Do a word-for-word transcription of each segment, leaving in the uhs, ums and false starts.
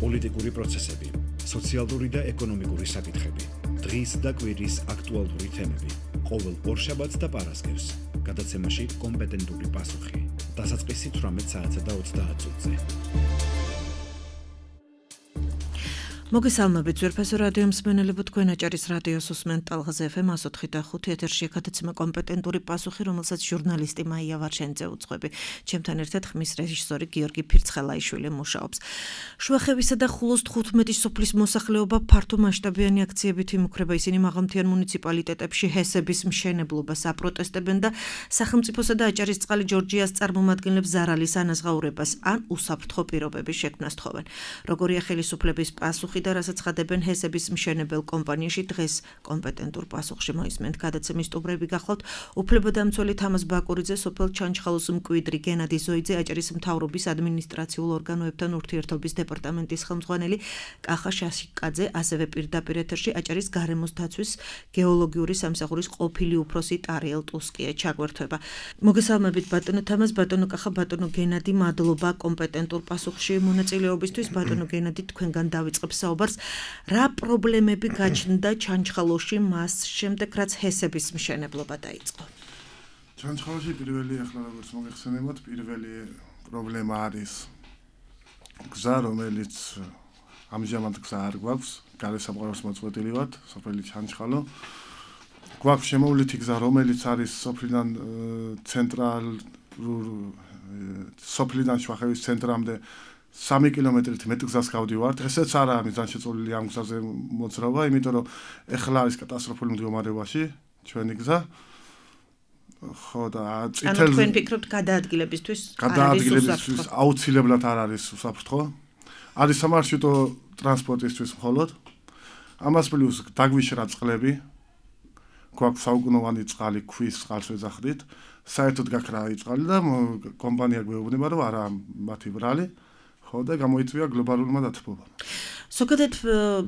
პოლიტიკური პროცესები, სოციალური და ეკონომიკური საკითხები, დღის და კვირის აქტუალური თემები, ყოველ ორშაბათს და პარასკევს, გადაცემაში კომპეტენტური პასუხი, დასაწყისი თვრამეტ საათსა და ოცდაათ წუთზე. მოგესალმებით ძვირფასო რადიო მსმენელებო, თქვენ აჭარის რადიოს უსმენთ ტალღაზე ეფ ემ one oh five point five ეთერში გადაცემა კომპეტენტური პასუხი, რომელსაც ჟურნალისტი მაია ვარშენიძე უძღვები. ჩემთან ერთად ხმის რეჟისორი გიორგი ფირცხელაიშვილი მუშაობს. შუახევისა და ხულოს თხუთმეტი სოფლის მოსახლეობა ფართო მასშტაბიანი აქციებით იმუქრება. ისინი მაღალმთიან მუნიციპალიტეტებში ჰესების მშენებლობას აპროტესტებენ და სახელმწიფოსა და აჭარისწყალი ჯორჯიას წარმომადგენლებს ზარალის ანაზღაურებას ან უსაფრთხო პირობების შექმნას თხოვენ. როგორია ხელისუფლების პასუხი და რასაც ხადებენ ჰესების მშენებელ კომპანიაში, დღეს კომპეტენტურ პასუხში მოისმენთ. გადაცემის სტუმრები გახლავთ უფლებადამცველი თამაზ ბაკურიძე, სოფელ ჩანჩხალოს მკვიდრი გენადი ზოიძე, აჭარის მთავრობის ადმინისტრაციულ ორგანოებთან ურთიერთობის დეპარტამენტის ხელმძღვანელი კახა შაშიკაძე, ასევე პირდაპირ ეთერში აჭარის გარემოს დაცვის გეოლოგიური სამსახურის ყოფილი უფროსი ტარიელ ტუსკია ჩაგვერთვება. მოგესალმებით ბატონო თამაზ, ბატონო კახა, ბატონო გენადი, მადლობა კომპეტენტურ პასუხში მონაწილეობისთვის. ბატონო გენადი, თქვენგან დავიწყებს საუბარს, რა პრობლემები გაჩნდა ჩანჩხალოში მას შემდეგ, რაც ჰესების მშენებლობა დაიწყო? ჩანჩხალოში პირველი, ახლა როგორც მოგეხსენებათ, პირველი პრობლემა არის გზა, რომელიც ამჟამად გზა არ გვაქვს, გარესამყაროს მოწყვეტილი ვართ, სოფელი ჩანჩხალო. გვაქვს შემოვლითი გზა, რომელიც არის სოფლიდან ცენტრალურ სოფლიდან შუახევის ცენტრამდე სამი კილომეტრით მეტ გზას გავდივართ. ესეც არა მიზან შეწოლილი ამ გზაზე მოძრაობა, იმიტომ რომ ეხლა არის კატასტროფული მდგომარეობაში ჩვენი გზა. ხო და წითელ ანუ თქვენ ფიქრობთ გადაადგილებისთვის გადაადგილებისთვის აუცილებლად არ არის უსაფრთხო. არის სამარშრუტო ტრანსპორტისთვის მხოლოდ. ამას პლუს დაგვიშრა წყლები. გვაქვს საუკუნოვანი წყალი, ქვის წყალს ვეძახდით. საერთოდ გაქრა წყალი და კომპანია გვეუბნება, რომ არა მათი ბრალი. და გამოიწვია გლობალურმა დათბობამ. ზოგადად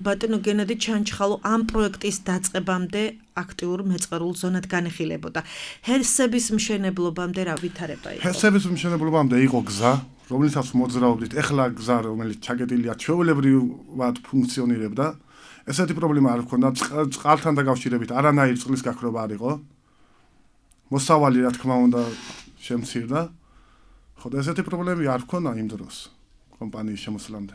ბატონო გენადი, ჩანჩხალო ამ პროექტის დაწყებამდე აქტიურ მეწყერულ ზონად განიხილებოდა. ჰესების მშენებლობამდე რა ვითარება იყო? ჰესების მშენებლობამდე იყო გზა, რომლითაც მოძრაობდით. ეხლა გზა, რომელიც ჩაგედილია, ჩვეულებრივად ფუნქციონირებდა. ესეთი პრობლემა არ ჰქონდა, წყალთან დაკავშირებით არანაირი წყლის გაქრობა არ იყო. მოსავალი, რა თქმა უნდა, შემცირდა. ხო და ესეთი პრობლემები არ ჰქონდა იმ დროს. კომპანიის შემოსვლამდე.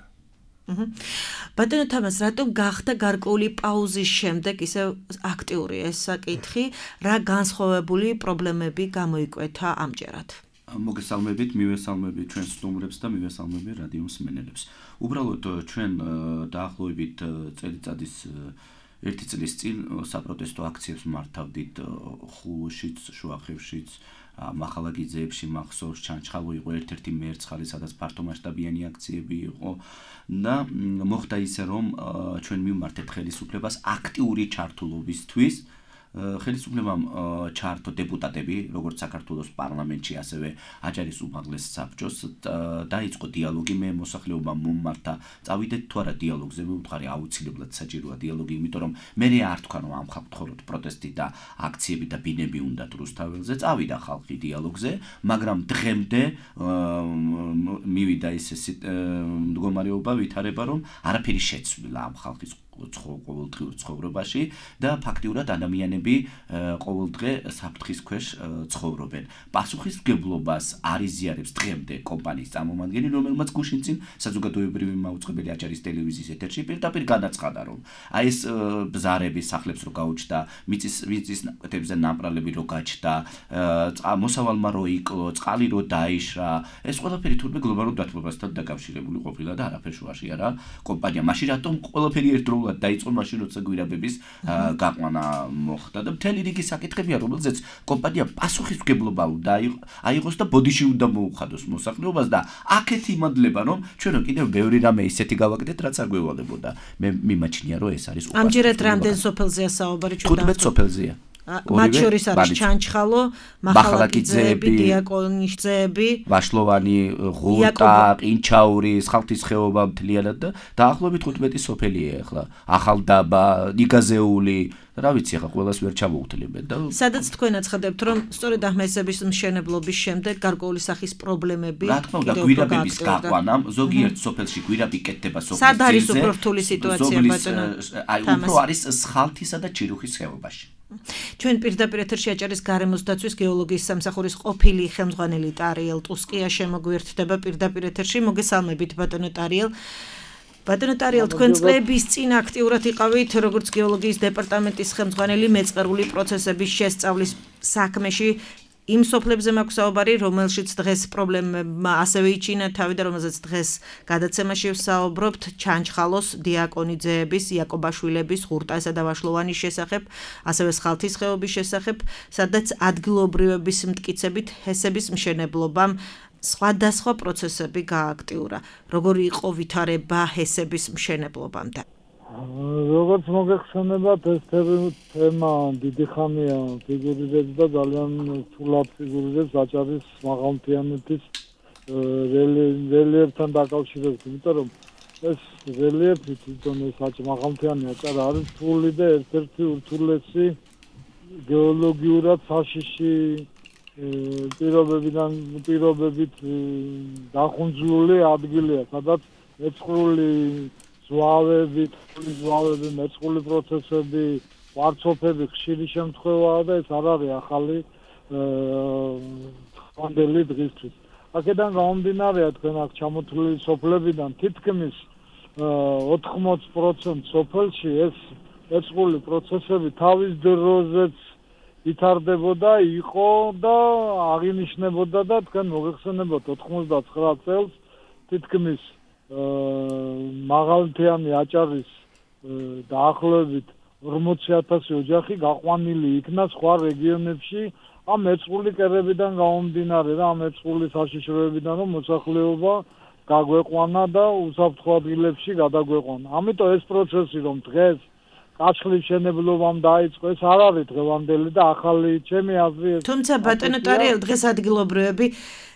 ბატონო თამაზ, რატომ გახდა გარკვეული პაუზის შემდეგ ისე აქტიური ეს საკითხი, რა განსხვავებული პრობლემები გამოიკვეთა ამჯერად? მოგესალმებით, მივესალმებით ჩვენს სტუმრებს და მივესალმებით რადიო მსმენელებს. უბრალოდ ჩვენ დაახლოებით წელიწადის ერთი წლის წინ საპროტესტო აქციებს მართავდით ხულოშიც, შუახევშიც, მახალაგიძეებში, მახსოვს, ჩანჩხალო იყო ერთ-ერთი მერცხალი, სადაც ფართო მასშტაბიანი აქციები იყო და მოხდა ისე, რომ ჩვენ მივმართეთ ხელისუფლებას აქტიური ჩართულობისთვის. ხელისუფლებამ ჩართო დეპუტატები, როგორც საქართველოს პარლამენტში, ასევე აჭარის უმაღლეს საბჭოს, დაიწყო დიალოგი. მე მოსახლეობამ მომმართა, წავიდეთ თუ არა დიალოგზე, მე ვუთხარი აუცილებლად საჭიროა დიალოგი, იმიტომ რომ მე არ თქვა რომ ამ ხალხთ ხოლოდ პროტესტი და აქციები და ბინები უნდათ რუსთაველზე, წავიდა ხალხი დიალოგზე, მაგრამ დღემდე მივიდა ისე მდგომარეობა, ვითარება, რომ არაფერი შეცვლილა ამ ხალხის ყოველდღიურ ცხოვრებაში და ფაქტიურად ადამიანები ყოველდღე საფრთხის ქვეშ ცხოვრობენ. პასუხისმგებლობას არ იზიარებს დღემდე კომპანიის წარმომადგენელი, რომელმაც გუშინ წინ საზოგადოებრივი მაუწყებელი აჭარის ტელევიზიის ეთერში პირდაპირ განაცხადა, რომ აი ეს ბზარები სახლებს რო გაუჩნდა, მიწის მიწის ნაკვეთებზე ნამპრალები რო გაჩნდა, მოსავალმა რო იკლო, წყალი რო დაიშრა, ეს ყველაფერი თურმე გლობალურ დათბობასთან დაკავშირებული ყოფილა და არაფერ შუაში არა კომპანია. მაშინ რატომ ყველაფერი ერთდროულად დაიწყო, მაშინ როცა გვირაბების გაყვანა მოხდა და მთელი რიგი საკითხებია, რომელზეც კომპანია პასუხისმგებლობა უნდა აიღოს და ბოდიში უნდა მოუხადოს მოსახლეობას და აქეთ იმადლება, რომ ჩვენ კიდევ ბევრი რამე ისეთი გავაკეთეთ, რაც არ გვევალებოდა. მე მიმაჩნია, რომ ეს არის ამჯერად რამდენ სოფელზეა საუბარი? თხუთმეტ სოფელზეა. მათ შორის არის ჩანჩხალო, მახალაკიძეები, დიაკონისძეები, ვაშლოვანი, ღუტა, ყინჩაური, ხალხის ხეობა მთლიანად და დაახლოებით თხუთმეტი სოფელია ახლა. ახალდაბა, ნიგაზეული, რა ვიცი ახლა ყველას ვერ ჩამოუვთლებენ და სადაც თქვენ აცხადებთ, რომ სწორედ ახმესების მშენებლობის შემდეგ გარკვეული სახის პრობლემები რა თქმა უნდა გვირაბების გაყვანა, ზოგიერთ სოფელში გვირაბი კეთდება სოფლის სად არის უფრო რთული სიტუაცია ბატონო? აი უფრო არის სხალთისა და ჩირუხის ხეობაში. ჩვენ პირდაპირ ეთერში აჭარის გარემოს დაცვის გეოლოგიის სამსახურის ყოფილი ხელმძღვანელი ტარიელ ტუსკია შემოგვიერთდება პირდაპირ ეთერში. მოგესალმებით ბატონო ტარიელ. ბატონო ტარიელ, თქვენ წლების წინ აქტიურად იყავით როგორც გეოლოგიის დეპარტამენტის ხელმძღვანელი მეწყერული პროცესების შესწავლის საქმეში. იმ სოფლებზე მაქვს საუბარი, რომელშიც დღეს პრობლემა ასევე იჩინა თავი და რომელზეც დღეს გადაცემაში ვსაუბრობთ ჩანჩხალოს, დიაკონიძეების, იაკობაშვილების, ღურტასა და ვაშლოვანის შესახებ, ასევე სხალთის ხეობის შესახებ, სადაც ადგილობრივების მტკიცებით ჰესების მშენებლობამ სხვადასხვა პროცესები გააქტიურა. როგორი იყო ვითარება ჰესების მშენებლობამდე? როგორც მოგეხსენებათ, ეს თემა დიდი ხანია ფიგურირებს და ძალიან რთულად ფიგურირებს აჭარის მაღალმთიანეთის რელიეფთან დაკავშირებით, იმიტომ რომ ეს რელიეფი თვითონ ეს მაღალმთიანი აჭარა არის რთული და ერთ-ერთი ურთულესი გეოლოგიურად საშიში პირობებიდან პირობებით დახუნძლული ადგილია, სადაც მეწყრული ზვავებით, ზვავები, მეწყრული პროცესები, ვარცოფები ხშირი შემთხვევაა და ეს არ არის ახალი ხანდელი დღისთვის. აქედან გამომდინარეა თქვენ აქ ჩამოთვლილი სოფლებიდან თითქმის ოთხმოც პროცენტი სოფელში ეს მეწყრული პროცესები თავის დროზეც ვითარდებოდა, იყო და აღინიშნებოდა და თქვენ მოგეხსენებათ ოთხმოცდაცხრა წელს თითქმის მაღალმთიანი აჭარის დაახლოებით ორმოცი ათასი ოჯახი გაყვანილი იქნა სხვა რეგიონებში ამ მეწყრული კერებიდან გამომდინარე და ამ მეწყრული საშიშროებიდან რომ მოსახლეობა გაგვეყვანა და უსაფრთხო ადგილებში გადაგვეყვანა. ამიტომ ეს პროცესი რომ დღეს კაშხლის მშენებლობამ დაიწყო, ეს არ არის დღევანდელი და ახალი ჩემი აზრი. თუმცა ბატონო ტარიელ, დღეს ადგილობრივები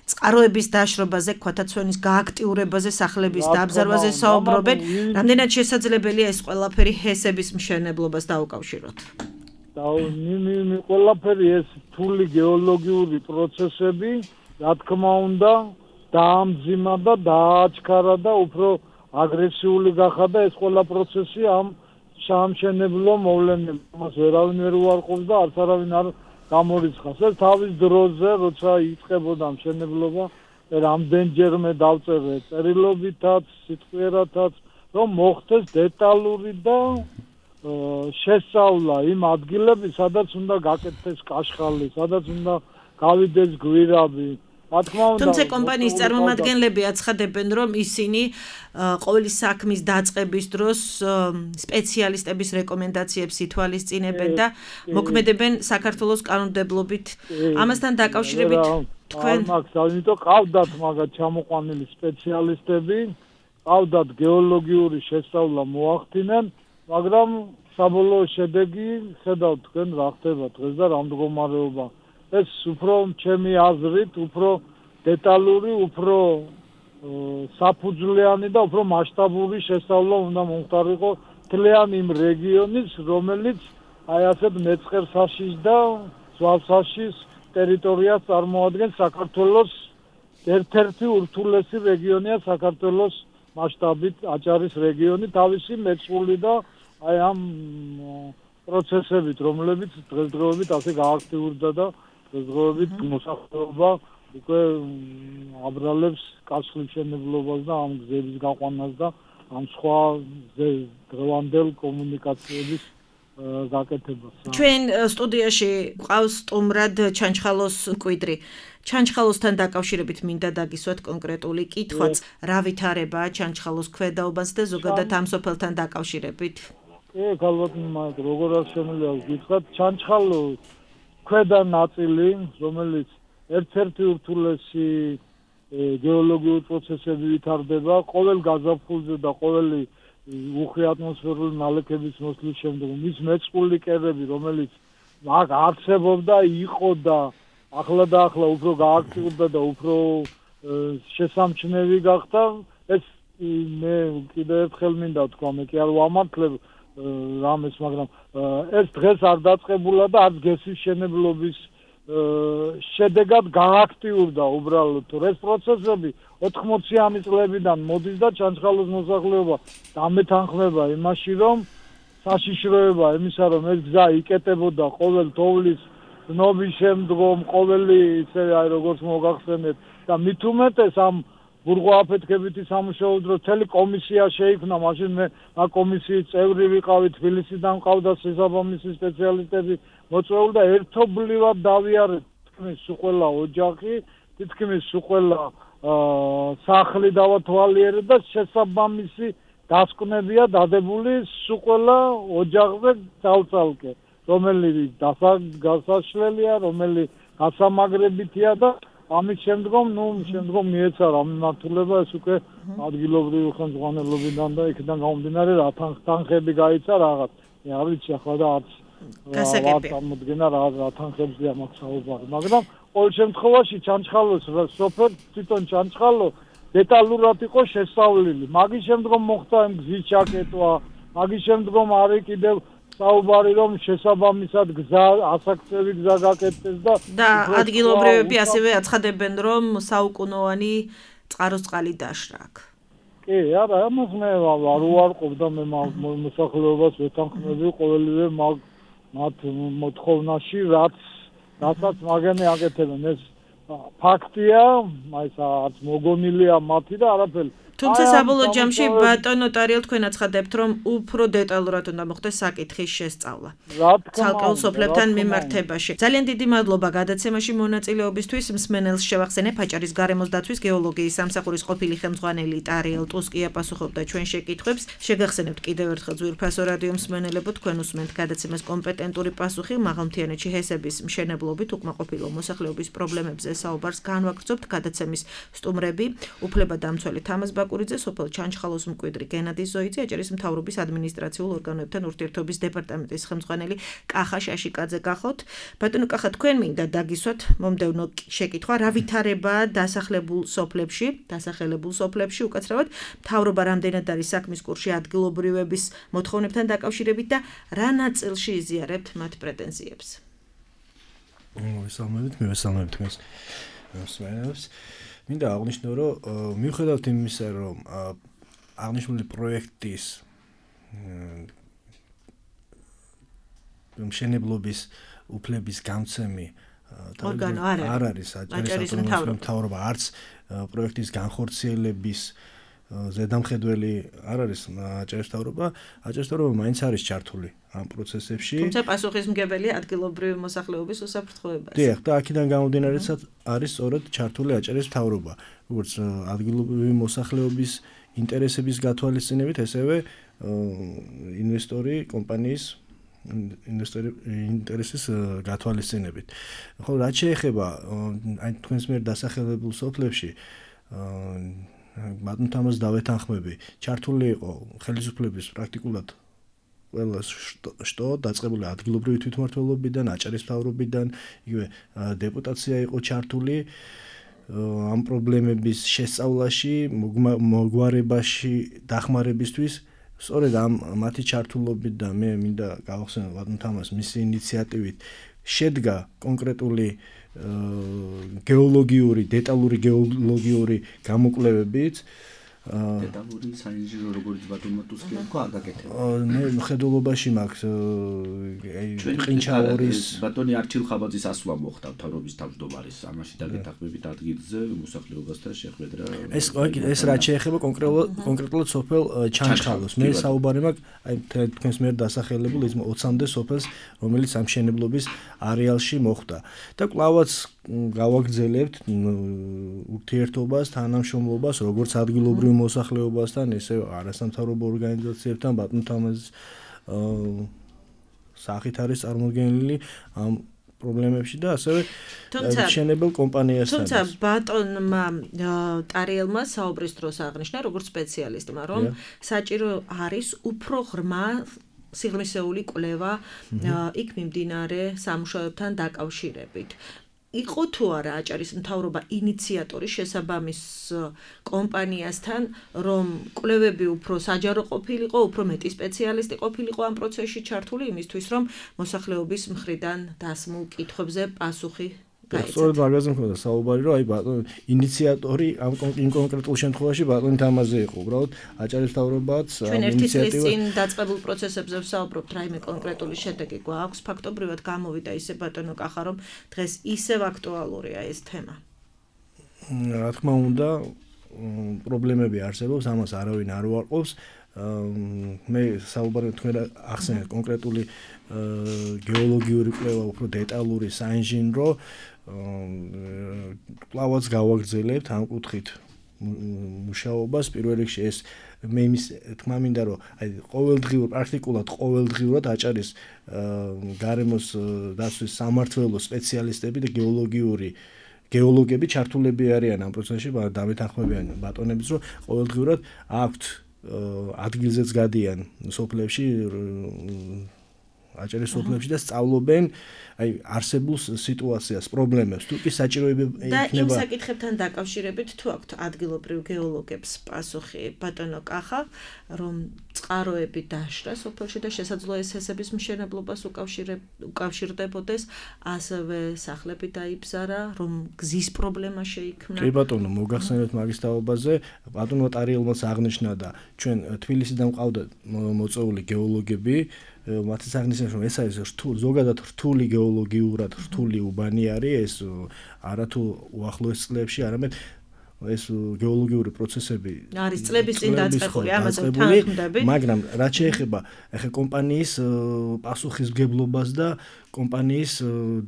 წყაროების დაშრობაზე, ქვათაცვენის გააქტიურებაზე, სახლების დაბზარვაზე საუბრობენ. რამდენად შესაძლებელია ეს ყველაფერი ჰესების მშენებლობას დაუკავშიროთ? და ნი ყველაფერი ეს რთული გეოლოგიური პროცესები, რა თქმა უნდა, დაამძიმა და დააჩქარა და უფრო აგრესიული გახადა ეს ყველა პროცესი ამ სამშენებლო მოვლენებს. მას ვერავინ ვერ უარყოფს და არც არავინ არ გამორიცხავს. ეს თავის დროზე, როცა იწყებოდა მშენებლობა, რამდენჯერმე დავწერე წერილობითაც, სიტყვიერათაც, რომ მოხდეს დეტალური და შესწავლა იმ ადგილები, სადაც უნდა გაკეთდეს კაშხალი, სადაც უნდა გავიდეს გვირაბი. თუმცა კომპანიის წარმომადგენლები აცხადებენ, რომ ისინი ყოველი საქმის დაწყების დროს სპეციალისტების რეკომენდაციებს ითვალისწინებენ და მოქმედებენ საქართველოს კანონმდებლობით. ამასთან დაკავშირებით თქვენ მაქვს, ამიტომ ყავდათ მაგათ ჩამოყვანილი სპეციალისტები, ყავდათ გეოლოგიური შესწავლა მოახდინენ, მაგრამ საბოლოო შედეგი ხედავთ თქვენ რა ხდება დღეს და რა მდგომარეობა. ეს უფრო ჩემი აზრით, უფრო დეტალური, უფრო საფუძვლიანი და უფრო მასშტაბური შესწავლა უნდა მომხდარიყო მთლიანი იმ რეგიონის, რომელიც აი ასეთ მეწყერსაშიშ და ზღვასაშიშ ტერიტორიას წარმოადგენს საქართველოს ერთ-ერთი ურთულესი რეგიონია საქართველოს მასშტაბით აჭარის რეგიონი თავისი მეწყრული და აი ამ პროცესებით, რომლებიც დღესდღეობით ასე გააქტიურდა და დღესდღეობით მოსახლეობა უკვე აბრალებს კაშხლის მშენებლობას და ამ გზების გაყვანას და ამ სხვა დღევანდელ კომუნიკაციების გაკეთებას. ჩვენ სტუდიაში ყავს სტუმრად ჩანჩხალოს მკვიდრი. ჩანჩხალოსთან დაკავშირებით მინდა დაგისვათ კონკრეტული კითხვაც, რა ვითარებაა ჩანჩხალოს ქვედაობას და ზოგადად ამ სოფელთან დაკავშირებით. კი, ალბათ მაგ როგორ არ შემიძლია ვკითხოთ, ჩანჩხალოს ქვედა ნაწილი, რომელიც ერთ-ერთი ურთულესი გეოლოგიური პროცესები ვითარდება, ყოველ გაზაფხულზე და ყოველი უხვი ატმოსფერული ნალექების მოსვლის შემდეგ, მის მეწყრული კერები, რომელიც მაგ არსებობდა იყო და ახლა და ახლა უფრო გააქტიურდა და უფრო შესამჩნევი გახდა ეს მე კიდევ ერთხელ მინდა თქვა მე კი არ ვამართლებ რამეს მაგრამ ეს დღეს არ დაწყებულა და არც გესის შენებლობის შედეგად გააქტიურდა უბრალოდ ეს პროცესები ოთხმოციანი წლებიდან მოდის და ჩანჩხალოს მოსახლეობა დამეთანხმება იმაში რომ საშიშროება იმისა რომ ეს გზა იკეტებოდა ყოველ თოვლის ნობის შემდგომ ყოველი ისე აი როგორც მოგახსენეთ და მით უმეტეს ამ ბურღვა-აფეთქებითი სამუშაო დროს მთელი კომისია შეიქმნა მაშინ მე ამ კომისიის წევრი ვიყავი თბილისიდან ყავდა შესაბამისი სპეციალისტები მოწვეული და ერთობლივად დავიარეთ თითქმის ყველა ოჯახი თითქმის ყველა სახლი დავათვალიერეთ და შესაბამისი დასკვნებია დადებული ყველა ოჯახზე ძალწალკე რომელიც დასაშლელია რომელიც გასამაგრებითია და ამის შემდგომ ნუ შემდგომ მიეცარა მიმართულება ეს უკვე ადგილობრივი ხელმძღვანელობიდან და იქიდან გამომდინარე რა თანხები გაიცა რაღაც მე არ ვიცი ახლა და არც გასაგებია წარმოდგენა რა რა თანხებზეა მაგ საუბარი მაგრამ ყოველ შემთხვევაში ჩანჩხალოს სოფელ თვითონ ჩანჩხალო დეტალურად იყო შესწავლილი მაგის შემდგომ მოხდა იმ გზის ჩაკეტვა მაგის შემდგომ არის კიდევ საუბარი რომ შესაბამისად გზა ასაკცევი გზა გაკეთდეს და და ადგილობრივები ასევე აცხადებენ რომ საუკუნოვანი წყაროს წყალი დაშრა აქ. კი, არა, ამას მე არ უარყოფ და მე მოსახლეობას ვეთანხმები ყოველივე მათ მოთხოვნაში რაც რასაც მაგენი აკეთებენ ეს ფაქტია, აი ეს არც მოგონილია მათი და არაფერი თუმცა საბოლოო ჯამში ბატონო ნოტარიელ თქვენ აცხადებთ რომ უფრო დეტალურად უნდა მოხდეს საკითხის შესწავლა. ცალკეულ სოფლებთან მიმართებაში. ძალიან დიდი მადლობა გადაცემაში მონაწილეობისთვის. მსმენელს შევახსენე ფაჭარის გარემოს დაცვის გეოლოგიის სამსახურის ყოფილი ხელმძღვანელი ტარიელ ტუსკია პასუხობდა ჩვენ შეკითხვებს. შეგახსენებთ კიდევ ერთხელ ძვირფასო რადიო მსმენელებო თქვენ უსმენთ გადაცემას კომპეტენტური პასუხი მაღალმთიანეთში ჰესების მშენებლობით უკმაყოფილო მოსახლეობის პრობლემებზე საუბარს განვაგრძობთ გადაცემის სტუმრები უფლებადამცველი თამაზ კურიძე, სოფელ ჩანჩხალოს მკვიდრი გენადი ზოიძე, აჭარის მთავრობის ადმინისტრაციულ ორგანოებთან ურთიერთობის დეპარტამენტის ხელმძღვანელი კახა შაშიკაძე გახოთ. ბატონო კახა, თქვენ მინდა დაგისვათ მომდევნო შეკითხვა, რა ვითარებაა დასახლებულ სოფლებში, დასახელებულ სოფლებში უკაცრავად, მთავრობა რამდენად არის საქმის კურსში ადგილობრივების მოთხოვნებთან დაკავშირებით და რა ნაწილში იზიარებთ მათ პრეტენზიებს? მოვესალმებით, მივესალმებით თქვენს მსმენელს. მინდა აღნიშნო, რომ მიუხედავად იმისა, რომ აღნიშნული პროექტის მშენებლობის უფლების გამცემი არ არის აჭარის მთავრობა, არც პროექტის განხორციელების ზედამხედველი არ არის აჭარის მთავრობა, აჭარის მთავრობა მაინც არის ჩართული ამ პროცესებში. თუმცა პასუხისმგებელია ადგილობრივი მოსახლეობის უსაფრთხოებაზე. დიახ, და აქედან გამომდინარეც არის სწორედ ჩართული აჭარის მთავრობა, როგორც ადგილობრივი მოსახლეობის ინტერესების გათვალისწინებით, ესევე ინვესტორი კომპანიის ინვესტორი ინტერესის გათვალისწინებით. ხო, რაც შეეხება აი თქვენს მიერ დასახელებულ სოფლებში ბატონ თამაზ დავეთანხმები, ჩართული იყო ხელისუფლების პრაქტიკულად ყველა შტო დაწყებული ადგილობრივი თვითმმართველობიდან, აჭარის მთავრობიდან, იგივე დეპუტაცია იყო ჩართული ამ პრობლემების შესწავლაში, მოგვარებაში, დახმარებისთვის. სწორედ ამ მათი ჩართულობით და მე მინდა გავახსენო ბატონ თამაზ მისი ინიციატივით შედგა კონკრეტული გეოლოგიური, დეტალური გეოლოგიური გამოკვლევებიც. დეტალური საინჟინრო როგორც ბატონმა ტუსკია თქვა არ გაკეთება. მე მხედველობაში მაქვს ყინჩაორის ბატონი არჩილ ხაბაძის ასვლა მოხდა მთავრობის თავმჯდომარის ამაში დაგეთახმებით ადგილზე მოსახლეობასთან შეხვედრა. ეს ეს რაც შეეხება კონკრეტულად სოფელ ჩანჩხალოს. მე საუბარი მაქვს აი თქვენს მიერ დასახელებულ ოცამდე სოფელს, რომელიც ამ მშენებლობის არეალში მოხდა. და კვლავაც გავაგრძელებთ ურთიერთობას, თანამშრომლობას, როგორც ადგილობრივ მოსახლეობასთან, ესე არასამთავრობო ორგანიზაციებთან, ბატონ თამაზის სახით არის წარმოდგენილი ამ პრობლემებში და ასევე მშენებელ კომპანიასთან. თუმცა ბატონმა ტარიელმა საუბრის დროს აღნიშნა, როგორც სპეციალისტმა, რომ საჭირო არის უფრო ღრმა სიღრმისეული კვლევა იქ მიმდინარე სამუშაოებთან დაკავშირებით. იყო თუ არა აჭარის მთავრობა ინიციატორი შესაბამის კომპანიასთან, რომ კვლევები უფრო საჯარო ყოფილიყო, უფრო მეტი სპეციალისტი ყოფილიყო ამ პროცესში ჩართული იმისთვის, რომ მოსახლეობის მხრიდან დასმულ კითხვებზე პასუხი გაეცათ. სწორედ მაგაზე მქონდა საუბარი, რომ აი ბატონ ინიციატორი ამ კონკრეტულ შემთხვევაში ბატონი თამაზე იყო. უბრალოდ აჭარის მთავრობაც ჩვენ ერთი წლის წინ დაწყებულ პროცესებზე ვსაუბრობთ, რაიმე კონკრეტული შედეგი გვაქვს. ფაქტობრივად გამოვიდა ისე ბატონო კახა, რომ დღეს ისევ აქტუალურია ეს თემა. რა თქმა უნდა, პრობლემები არსებობს, ამას არავინ არ უარყოფს. მე საუბარი თქვენ ახსენეთ კონკრეტული გეოლოგიური კვლევა, უფრო დეტალური საინჟინრო კვლავაც გავაგრძელებთ ამ კუთხით მუშაობას. პირველ რიგში ეს მე იმის თქმა მინდა, რომ აი ყოველდღიურად, პრაქტიკულად ყოველდღიურად აჭარის გარემოს დაცვის სამმართველოს სპეციალისტები და გეოლოგიური გეოლოგები ჩართულები არიან ამ პროცესში, დამეთანხმებიან ბატონებს, რომ ყოველდღიურად აქვთ ადგილზეც გადიან სოფლებში, აჭარის სოფლებში და სწავლობენ აი არსებულ სიტუაციას, პრობლემებს, თუ კი საჭიროება იქნება. და იმ საკითხებთან დაკავშირებით თუ აქვთ ადგილობრივ გეოლოგებს პასუხი ბატონო კახა, რომ წყაროები დაშრა სოფელში და შესაძლოა ეს ჰესების მშენებლობას უკავშირდებოდეს, ასევე სახლები დაიბზარა, რომ გზის პრობლემა შეიქმნა. კი ბატონო, მოგახსენეთ მაგის თაობაზე, ბატონო ტარიელმაც აღნიშნა და ჩვენ თბილისიდან მყავდა მოწვეული გეოლოგები, მათი აღნიშნა, რომ ეს არის რთული, ზოგადად რთული გეოლოგიურად რთული უბანი არის, ეს არათუ უახლოეს წლებში, არამედ ეს გეოლოგიური პროცესები არის წლების წინ დაწყებული, ამაზე თანხმდები. მაგრამ რაც შეეხება ახლა კომპანიის პასუხისმგებლობას და კომპანიის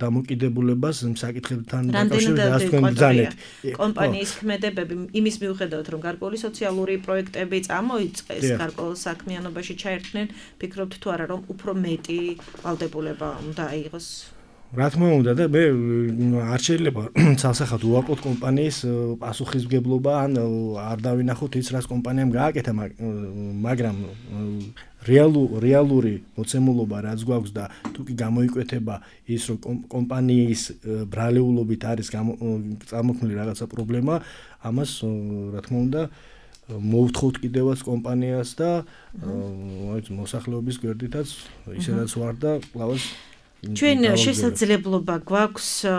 დამოკიდებულებას საკითხებთან დაკავშირებით რას თქვენ ბრძანეთ. კომპანიის ქმედებები იმის მიუხედავად, რომ გარკვეული სოციალური პროექტები წამოიწყეს, გარკვეულ საქმიანობაში ჩაერთნენ, ფიქრობთ თუ არა, რომ უფრო მეტი ვალდებულება უნდა აიღოს? რა თქმა უნდა და მე არ შეიძლება ცალსახად უარყოთ კომპანიის პასუხისმგებლობა, ან არ დავინახოთ ის, რაც კომპანიამ გააკეთა, მაგრამ რეალური მოცემულობა რაც გვაქვს და თუ კი გამოიკვეთება ის, რომ კომპანიის ბრალეულობით არის წარმოქმნილი რაღაცა პრობლემა, ამას რა თქმა უნდა მოვთხოვთ კიდევაც კომპანიას და მოსახლეობის გვერდითაც ისედაც ვარ და კლავას ჩვენ შესაძლებლობა გვაქვს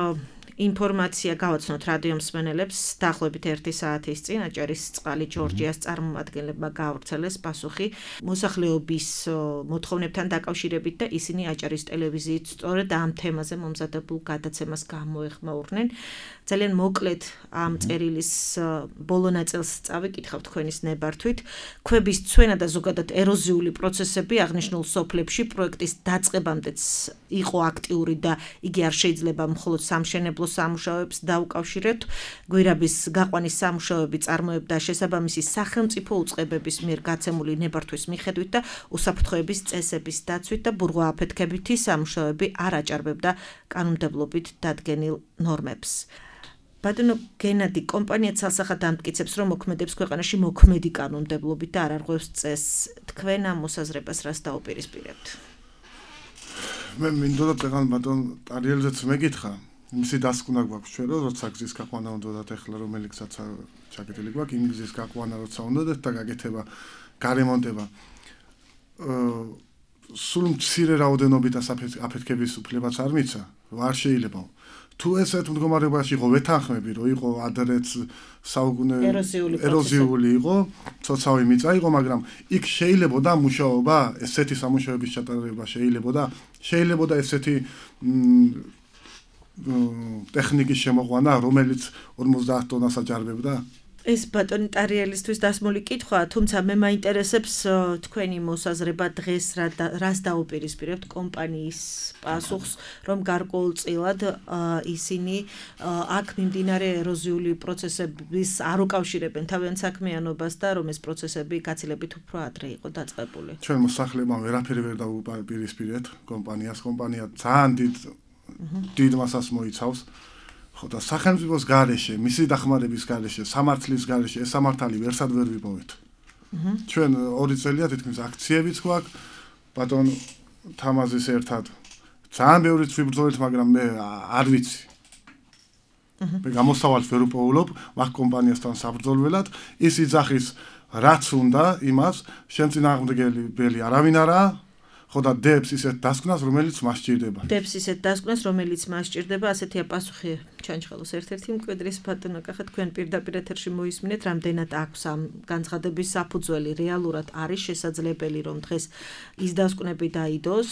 ინფორმაცია გავაცნოთ რადიო მსმენელებს დაახლოებით ერთი საათის წინ აჭარის წყალი ჯორჯიას წარმომადგენლებმა გაავრცელეს პასუხი მოსახლეობის მოთხოვნებთან დაკავშირებით და ისინი აჭარის ტელევიზიით სწორედ ამ თემაზე მომზადებულ გადაცემას გამოეხმაურნენ. ძალიან მოკლედ ამ წერილის ბოლო ნაწილს წავიკითხავთ თქვენის ნებართვით. ქვების ცვენა და ზოგადად ეროზიული პროცესები აღნიშნულ სოფლებში პროექტის დაწყებამდეც იყო აქტიური და იგი არ შეიძლება მხოლოდ სამშენებლო სამუშაოებს დაუკავშირებთ. გვირაბის გაყვანის სამუშაოები წარმოებდა შესაბამისი სახელმწიფო უწყებების მიერ გაცემული ნებართვის მიხედვით და უსაფრთხოების წესების დაცვით და ბურღვააფეთქებითი სამუშაოები არ აჭარბებდა კანონმდებლობით დადგენილ ნორმებს. ბატონო გენადი, კომპანია ცალსახად ამტკიცებს, რომ მოქმედებს ქვეყანაში მოქმედი კანონმდებლობით და არ არღვევს წესს. თქვენ ამ მოსაზრებას რას დაუპირისპირებთ? მე მინდოდა წეგან ბატონ ტარიელზეც მეკითხა. მისი დასკვნა გვაქვს ჩვენ, რომ როცა გზის გაყვანა უნდათ ეხლა რომელიცაც ჩაკეტილი გვაქვს, იმ გზის გაყვანა როცა უნდათ და გაკეთება, გარემონტება. სულ მცირე რაოდენობით აფეთქების უფლებაც არ მიცა, არ შეიძლება. თუ ესეთ მდგომარეობაში იყო ვეთანხმები, რომ იყო ადრეც საუკუნე ეროზიული იყო, ცოცავი მიწა იყო, მაგრამ იქ შეიძლებოდა მუშაობა, ესეთი სამუშაოების ჩატარება შეიძლებოდა, შეიძლებოდა ესეთი ტექნიკის შემოყვანა, რომელიც ორმოცდაათ ტონას აჭარბებდა? ეს ბატონი ტარიელისთვის დასმული კითხვაა, თუმცა მე მაინტერესებს თქვენი მოსაზრება დღეს რას დაუპირისპირებთ კომპანიის პასუხს, რომ გარკვეულწილად ისინი აქ მიმდინარე ეროზიული პროცესების არ უკავშირებენ თავიანთ საქმიანობას და რომ ეს პროცესები გაცილებით უფრო ადრე იყო დაწყებული. ჩვენ მოსახლებმა ვერაფერი ვერ დაუპირისპირეთ კომპანიას, კომპანია ძალიან დიდ დიდ მასას მოიცავს. ხო და სახელმწიფოს გარეშე, მისი დახმარების გარეშე, სამართლის გარეშე ეს სამართალი ვერსად ვერ ვიპოვეთ. ჩვენ ორი წელია თითქმის აქციებიც გვაქვს, ბატონ თამაზის ერთად ძალიან ბევრი ვიბრძოლეთ, მაგრამ მე არ ვიცი. მე გამოსავალს ვერ უპოულობ მაგ კომპანიასთან საბრძოლველად, ის იძახის რაც უნდა იმას, შენ წინააღმდეგელი ბელი არავინ არაა. ხო და დებს ისეთ დასკვნას, რომელიც მას სჭირდება. დებს ისეთ დასკვნას, რომელიც მას სჭირდება, ასეთია პასუხი ჩანჩხალოს ერთ-ერთი მკვიდრის ბატონო კახა, თქვენ პირდაპირ ეთერში მოისმინეთ, რამდენად აქვს ამ განცხადების საფუძველი, რეალურად არის შესაძლებელი, რომ დღეს ის დასკვნები დაიდოს,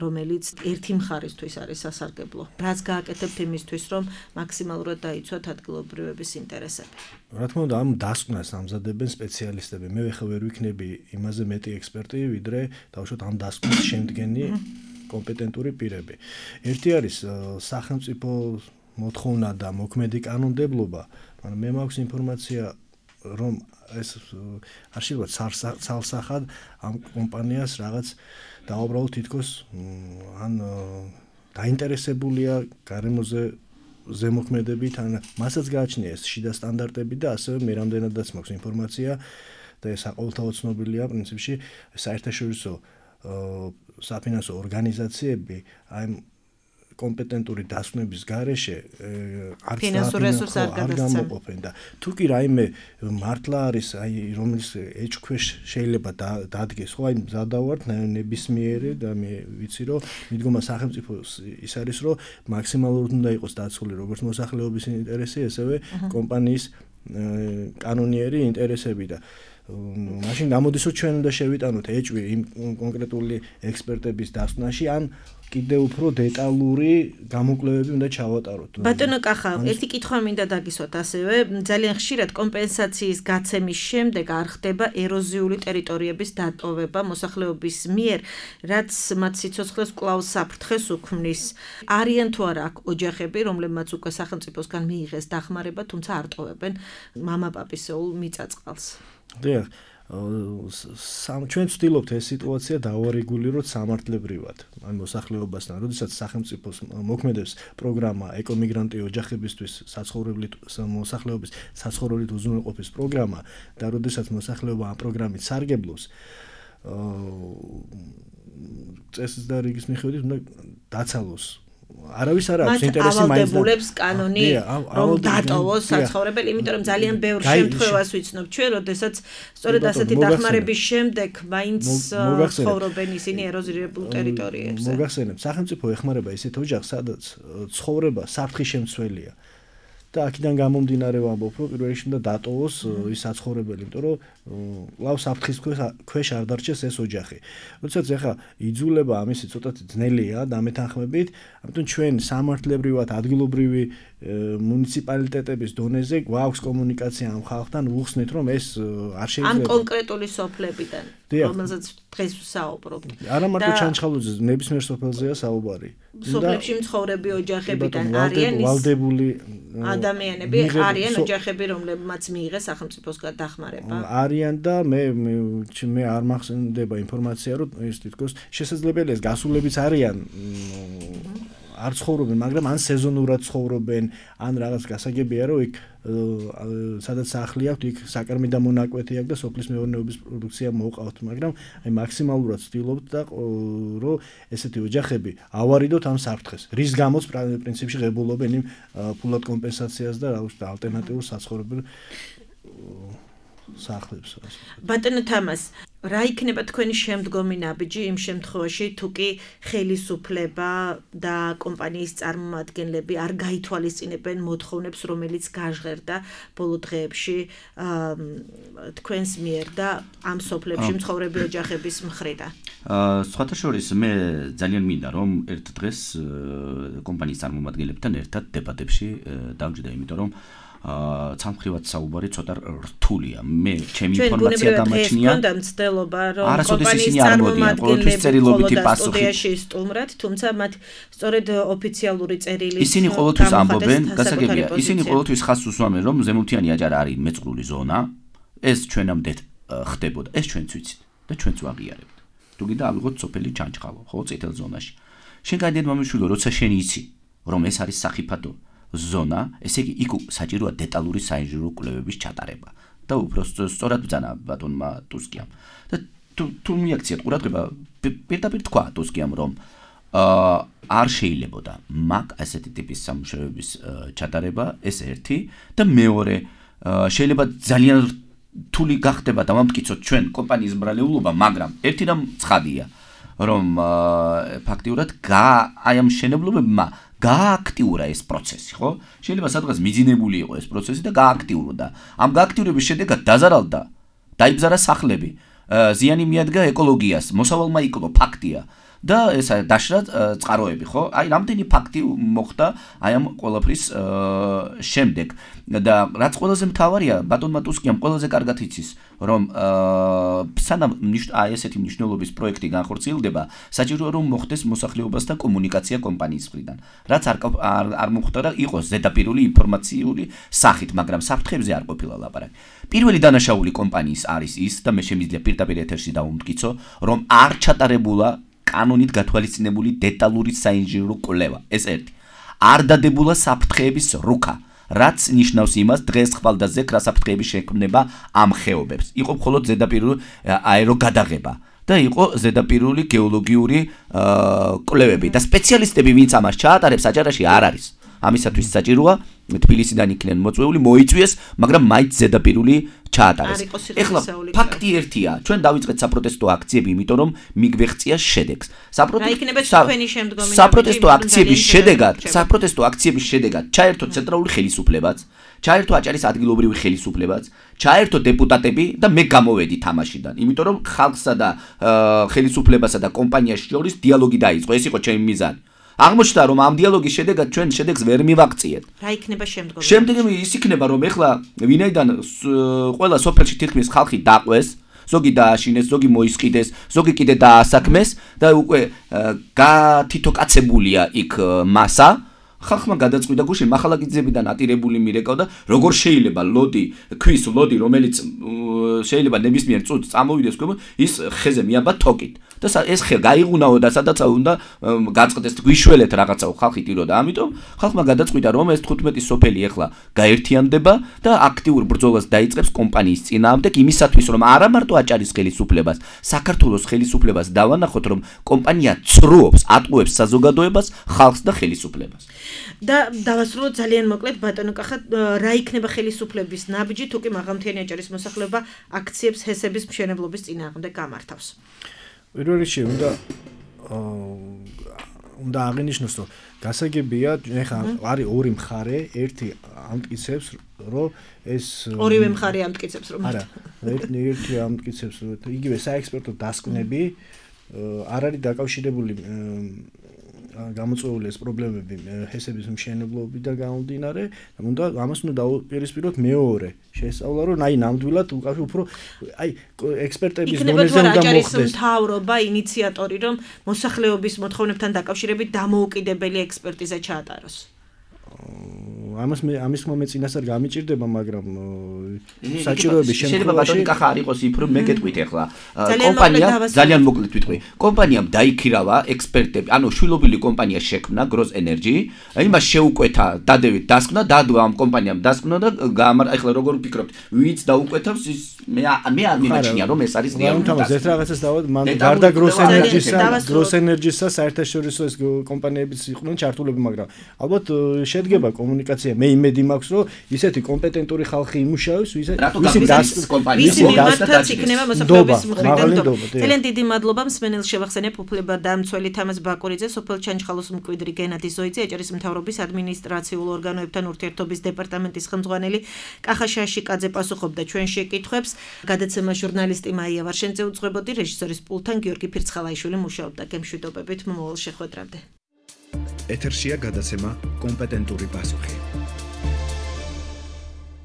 რომელიც ერთი მხარისთვის არის სასარგებლო. რაც გააკეთებთ იმისთვის, რომ მაქსიმალურად დაიცვათ ადგილობრივების ინტერესები. რა თქმა უნდა, ამ დასკვნას ამზადებენ სპეციალისტები. მე ხა ვერ ვიქნები იმაზე მეტი ექსპერტი, ვიდრე დავუშვათ ამ დასკვნას შემდგენი კომპეტენტური პირები. ერთი არის სახელმწიფო მოთხოვნა და მოქმედი კანონმდებლობა, მაგრამ მე მაქვს ინფორმაცია, რომ ეს არ შეიძლება ცალსახად ამ კომპანიას რაღაც დაუბრალოთ თითქოს ან დაინტერესებულია გარემოზე ზემოქმედებით, ან მასაც გააჩნია ეს შიდა სტანდარტები და ასევე მე რამდენადაც მაქვს ინფორმაცია და ეს საყოველთაო ცნობილია პრინციპში საერთაშორისო საფინანსო ორგანიზაციები აი კომპეტენტური დასკვნების გარეშე არც ფინანსურ რესურსს არ გამოყოფენ და თუ კი რაიმე მართლა არის აი რომელიც ეჭქვეშ შეიძლება დადგეს ხო აი მზადავართ ნებისმიერი და მე ვიცი რომ მიდგომა სახელმწიფოს ის არის რომ მაქსიმალურად უნდა იყოს დაცული როგორც მოსახლეობის ინტერესი ესევე კომპანიის კანონიერი ინტერესები და მაშინ გამოდის რომ ჩვენ უნდა შევიტანოთ ეჭვი იმ კონკრეტული ექსპერტების დასკვნაში ან კიდევ უფრო დეტალური გამოკვლევები უნდა ჩავატაროთ. ბატონო კახა, ერთი კითხვა მინდა დაგისვათ ასევე, ძალიან ხშირად კომპენსაციის გაცემის შემდეგ არ ხდება ეროზიული ტერიტორიების დატოვება მოსახლეობის მიერ, რაც მათ სიცოცხლეს კვლავ საფრთხეს უქმნის. არიან თუ არა აქ ოჯახები, რომლებმაც უკვე სახელმწიფოსგან მიიღეს დახმარება, თუმცა არ ტოვებენ მამაპაპისეულ მიწაწყალს. დიახ, ჩვენ ვცდილობთ ეს სიტუაცია დავარეგულიროთ სამართლებრივად, ან მოსახლეობასთან, როდესაც სახელმწიფოს მოქმედებს პროგრამა ეკომიგრანტი ოჯახებისთვის საცხოვრებლით მოსახლეობის საცხოვრებლით უზრუნველყოფის პროგრამა და როდესაც მოსახლეობა ამ პროგრამით სარგებლობს, წესის და რიგის მიხედვით უნდა დაცალოს. არავის არ აქვს ინტერესი მაინც ავალდებულებს კანონი რომ დატოვოს საცხოვრებელი, იმიტომ რომ ძალიან ბევრ შემთხვევას ვიცნობ ჩვენ, როდესაც სწორედ ასეთი დახმარების შემდეგ მაინც ცხოვრობენ ისინი ეროზირებულ ტერიტორიებზე. მოგახსენებთ, სახელმწიფო ეხმარება ისეთ ოჯახს, სადაც ცხოვრება საფრთხის შემცველია. და აქედან გამომდინარე ვამბობ, რომ პირველ რიგში უნდა დატოვოს ის საცხოვრებელი, იმიტომ რომ კვლავ საფრთხის ქვეშ არ დარჩეს ეს ოჯახი. როდესაც ეხა იძულება ამისი ცოტათი ძნელია დამეთანხმებით, ამიტომ ჩვენ სამართლებრივად ადგილობრივი მუნიციპალიტეტების დონეზე გვაქვს კომუნიკაცია ამ ხალხთან, ვუხსნით რომ ეს არ შეიძლება ამ კონკრეტული სოფლებიდან, რომელზეც დღეს ვსაუბრობთ. არა მარტო ჩანჩხალოზე, ნებისმიერ სოფელზეა საუბარი. სოფლებში მცხოვრები ოჯახებიდან არიან ვალდებული ადამიანები, არიან ოჯახები, რომლებმაც მიიღეს სახელმწიფოსგან დახმარება. არიან და მე მე არ მახსენდება ინფორმაცია, რომ ეს თითქოს შესაძლებელია გასულებიც არიან. არ ცხოვრობენ, მაგრამ ან სეზონურად ცხოვრობენ, ან რაღაც გასაგებია, რომ იქ სადაც სახლი აქვს, იქ საკარმი და მონაკვეთი აქვს და სოფლის მეურნეობის პროდუქცია მოყავთ, მაგრამ აი მაქსიმალურად ვცდილობთ და რომ ესეთი ოჯახები ავარიდოთ ამ საფრთხეს. რის გამოც პრინციპში ღებულობენ იმ ფულად კომპენსაციას და რა ვიცი ალტერნატიულ საცხოვრებელ სახლებს. ბატონო თამას, რა იქნება თქვენი შემდგომი ნაბიჯი იმ შემთხვევაში, თუ კი ხელისუფლება და კომპანიის წარმომადგენლები არ გაითვალისწინებენ მოთხოვნებს, რომელიც გაჟღერდა ბოლო დღეებში თქვენს მიერ და ამ სოფლებში მცხოვრები ოჯახების მხრიდან? სხვათა შორის მე ძალიან მინდა რომ ერთ დღეს კომპანიის წარმომადგენლებთან ერთად დებატებში დავჯდე, იმიტომ რომ სამხრივად საუბარი ცოტა რთულია. მე ჩემი ინფორმაცია დამაჩნია. ჩვენ მცდელობა რომ კომპანიის წარმომადგენლები ყოველთვის სტუდიაში სტუმრად, თუმცა მათ სწორედ ოფიციალური წერილი ისინი ყოველთვის ამბობენ, გასაგებია, ისინი ყოველთვის ხაზს უსვამენ, რომ ზემოთიანი აჯარა არის მეწყრული ზონა, ეს ჩვენამდე ხდებოდა, ეს ჩვენც ვიცით და ჩვენც ვაღიარებთ. თუ კიდე ავიღოთ სოფელი ჩანჩხალო, ხო, წითელ ზონაში. შენ გაიდეთ მომიშვილო, როცა შენ იცი, რომ ეს არის სახიფათო ზონა, ესე იგი იქ საჭიროა დეტალური საინჟინრო კვლევების ჩატარება და უფრო სწორად ბრძანა ბატონმა ტუსკიამ. და თუ მიაქციათ ყურადღება პირდაპირ თქვა ტუსკიამ რომ აა არ შეიძლებოდა მაგ ასეთი ტიპის სამუშაოების ჩატარება ეს ერთი და მეორე შეიძლება ძალიან რთული გახდება დამამტკიცოთ ჩვენ კომპანიის ბრალეულობა მაგრამ ერთი რამ ცხადია რომ ფაქტიურად აი ამ მშენებლობებმა გააქტიურა ეს პროცესი, ხო? შეიძლება სადღაც მიძინებული იყო ეს პროცესი და გააქტიურდა. ამ გააქტიურების შედეგად დაზარალდა, დაიბზარა სახლები, ზიანი მიადგა ეკოლოგიას, მოსავალმა იკლო, ფაქტია. და ეს დაშრა წყაროები, ხო? აი რამდენი ფაქტი მოხდა აი ამ ყველაფრის შემდეგ და რაც ყველაზე მთავარია, ბატონმა ტუსკიამ ყველაზე კარგად იცის, რომ სანამ აი ესეთი მნიშვნელობის პროექტი განხორციელდება, საჭიროა რომ მოხდეს მოსახლეობასთან კომუნიკაცია კომპანიის მხრიდან. რაც არ არ მოხდა, იყოს ზედაპირული ინფორმაციული სახით, მაგრამ საფრთხებზე არ ყოფილა ლაპარაკი. პირველი დანაშაული კომპანიის არის ის და მე შემიძლია პირდაპირ ეთერში დავუმტკიცო, რომ არ ჩატარებულა კანონით გათვალისწინებული დეტალური საინჟინრო კვლევა. ეს ერთი. არ დადებულა საფრთხეების რუქა, რაც ნიშნავს იმას, დღეს ხვალდაზექ რა საფრთხეების შექმნება ამ ხეობებს. იყო მხოლოდ ზედაპირული აეროგადაღება და იყო ზედაპირული გეოლოგიური კვლევები და სპეციალისტები, ვინც ამას ჩაატარებს, აჭარაში არ არის. ამისათვის საჭიროა თბილისიდან იქნენ მოწვეული, მოიწვიეს, მაგრამ მაინც ზედაპირული ჩაატარეს. ეხლა ფაქტი ერთია, ჩვენ დავიწყეთ საპროტესტო აქციები, იმიტომ რომ მიგვეღწია შედეგს. საპროტესტო აქციების შედეგად, საპროტესტო აქციების შედეგად ჩაერთო ცენტრალური ხელისუფლებაც, ჩაერთო აჭარის ადგილობრივი ხელისუფლებაც, ჩაერთო დეპუტატები და მე გამოვედი თამაშიდან, იმიტომ რომ ხალხსა და ხელისუფლებასა და კომპანიას შორის დიალოგი დაიწყო, ეს იყო ჩემი მიზანი. აღმოჩნდა რომ ამ დიალოგის შედეგად ჩვენ შედეგს ვერ მივაღწიეთ. რა იქნება შემდგომში? შემდგომი ის იქნება რომ ეხლა ვინაიდან ყველა სოფელში თითქმის ხალხი დაყვეს, ზოგი დააშინეს, ზოგი მოისყიდეს, ზოგი კიდე დაასაქმეს და უკვე გათითოკაცებულია იქ მასა. ხალხმა გადაწყვიტა გუშინ მახალაგიძეებიდან ატირებული მირეკავდა, როგორ შეიძლება ლოდი, ქვის ლოდი, რომელიც შეიძლება ნებისმიერ წუთს წამოვიდეს ქვემოთ, ის ხეზე მიაბა თოკით. და ეს ხე გაიღუნაო და სადაც უნდა გაწყდეს გვიშველეთ რაღაცაო ხალხი ტიროდა. ამიტომ ხალხმა გადაწყვიტა რომ ეს თხუთმეტი სოფელი ახლა გაერთიანდება და აქტიურ ბრძოლას დაიწყებს კომპანიის წინააღმდეგ იმისათვის რომ არა მარტო აჭარის ხელისუფლებას, საქართველოს ხელისუფლებას დავანახოთ რომ კომპანია ცრუობს, ატყუებს საზოგადოებას, ხალხს და ხელისუფლებას. და დავასრულოთ ძალიან მოკლედ ბატონო კახა, რა იქნება ხელისუფლების ნაბიჯი თუ კი მაღალმთიანი აჭარის მოსახლეობა აქციებს ჰესების მშენებლობის წინააღმდეგ გამართავს? პირველ რიგში უნდა უნდა აღინიშნოს, რომ გასაგებია, ეხლა არის ორი მხარე, ერთი ამტკიცებს, რომ ეს ორივე მხარე ამტკიცებს, რომ არა, ერთი ამტკიცებს, რომ იგივე საექსპერტო დასკვნები არ არის დაკავშირებული გამოწვეული ეს პრობლემები ჰესების მშენებლობიდან გამომდინარე, უნდა ამას უნდა დაუპირისპიროთ მეორე შესწავლა, რომ აი ნამდვილად უფრო აი ექსპერტების დონეზე უნდა მოხდეს. მთავრობა ინიციატორი, რომ მოსახლეობის მოთხოვნებთან დაკავშირებით დამოუკიდებელი ექსპერტიზა ჩაატაროს. ამას მე ამის მომე წინასწარ გამიჭირდება, მაგრამ საჭიროების შემთხვევაში შეიძლება ბატონი კახა არ იყოს იფრო მე გეტყვით ახლა კომპანია ძალიან მოკლედ ვიტყვი კომპანიამ დაიქირავა ექსპერტები, ანუ შვილობილი კომპანია შექმნა Gross Energy, იმას შეუკვეთა დადევით დასკვნა, დადვა ამ კომპანიამ დასკვნა და გამარ ახლა როგორ ვფიქრობთ, ვინც დაუკვეთავს ის მე მე არ მიმაჩნია რომ ეს არის რეალური. თამას ერთ რაღაცას დავად, მან გარდა Gross Energy-სა, Gross Energy-სა საერთაშორისო ეს კომპანიებიც იყვნენ ჩართულები, მაგრამ ალბათ შედგება კომუნიკაცია. მე იმედი მაქვს, რომ ისეთი კომპეტენტური ხალხი იმუშავებს, ვისი მიმართაც იქნება მოსახლეობის მხრიდან. ძალიან დიდი მადლობა მსმენელ შევახსენებ უფლება დამცველი თამაზ ბაკურიძე, სოფელ ჩანჩხალოს მკვიდრი გენადი ზოიძე, აჭარის მთავრობის ადმინისტრაციულ ორგანოებთან ურთიერთობის დეპარტამენტის ხელმძღვანელი კახა შაშიკაძე პასუხობდა ჩვენ შეკითხვებს. გადაცემა ჟურნალისტი მაია ვარშენძე უძღვებოდი, რეჟისორის პულთან გიორგი ფირცხალაიშვილი მუშაობდა. გემშვიდობებით მომავალ შეხვედრამდე. ეთერშია გადაცემა კომპეტენტური პასუხი.